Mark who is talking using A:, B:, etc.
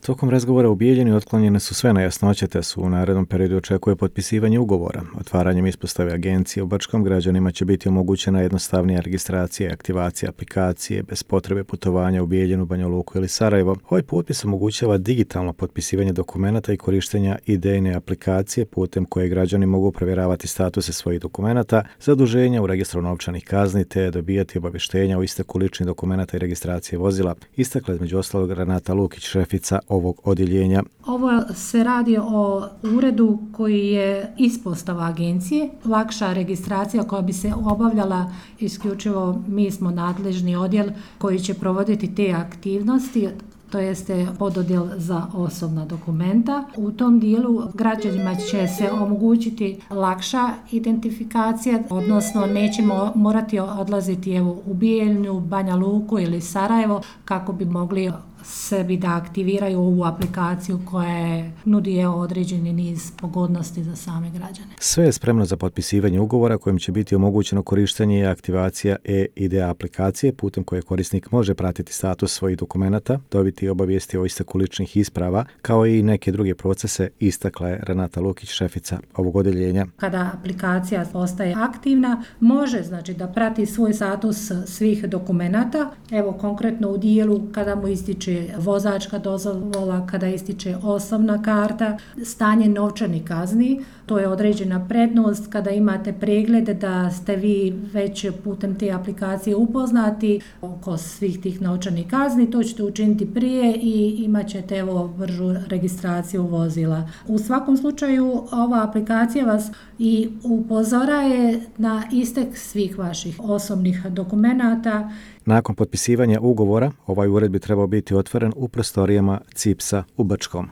A: Tokom razgovora u Bijeljini otklonjene su sve nejasnoće te su u narednom periodu očekuje potpisivanje ugovora. Otvaranjem ispostave agencije u Brčkom građanima će biti omogućena jednostavnija registracija i aktivacija aplikacije bez potrebe putovanja u Bijeljinu, Banja Luku ili Sarajevo. Ovaj potpis omogućava digitalno potpisivanje dokumenata i korištenja idejne aplikacije putem koje građani mogu provjeravati statuse svojih dokumenata, zaduženja u registru novčanih kazni te dobijati obavještenja o isteku ličnih dokumenata i registracije vozila. Istakla između ostalog Renata Lukić, šefica ovog odjeljenja.
B: Ovo se radi o uredu koji je ispostava agencije, lakša registracija koja bi se obavljala isključivo, mi smo nadležni odjel koji će provoditi te aktivnosti, to jeste pododjel za osobna dokumenta. U tom dijelu građanima će se omogućiti lakša identifikacija, odnosno nećemo morati odlaziti u Bijeljinu, Banja Luku ili Sarajevo kako bi mogli sebi da aktiviraju ovu aplikaciju koja nudi određeni niz pogodnosti za same građane.
A: Sve je spremno za potpisivanje ugovora kojim će biti omogućeno korištenje i aktivacija e-ID aplikacije putem koje korisnik može pratiti status svojih dokumenata, dobiti obavijesti o isteku ličnih isprava, kao i neke druge procese, istakla je Renata Lukić, šefica ovog odjeljenja.
B: Kada aplikacija postaje aktivna, može da prati svoj status svih dokumenata. Evo konkretno u dijelu kada mu ističe vozačka dozvola, kada ističe osobna karta, stanje novčanih kazni, to je određena prednost kada imate pregled da ste vi već putem te aplikacije upoznati oko svih tih novčanih kazni, to ćete učiniti prije i imat ćete bržu registraciju vozila. U svakom slučaju ova aplikacija vas i upozoraje na istek svih vaših osobnih dokumenata.
A: Nakon potpisivanja ugovora, ovaj ured bi trebao biti otvoren u prostorijama CIPS-a u Brčkom.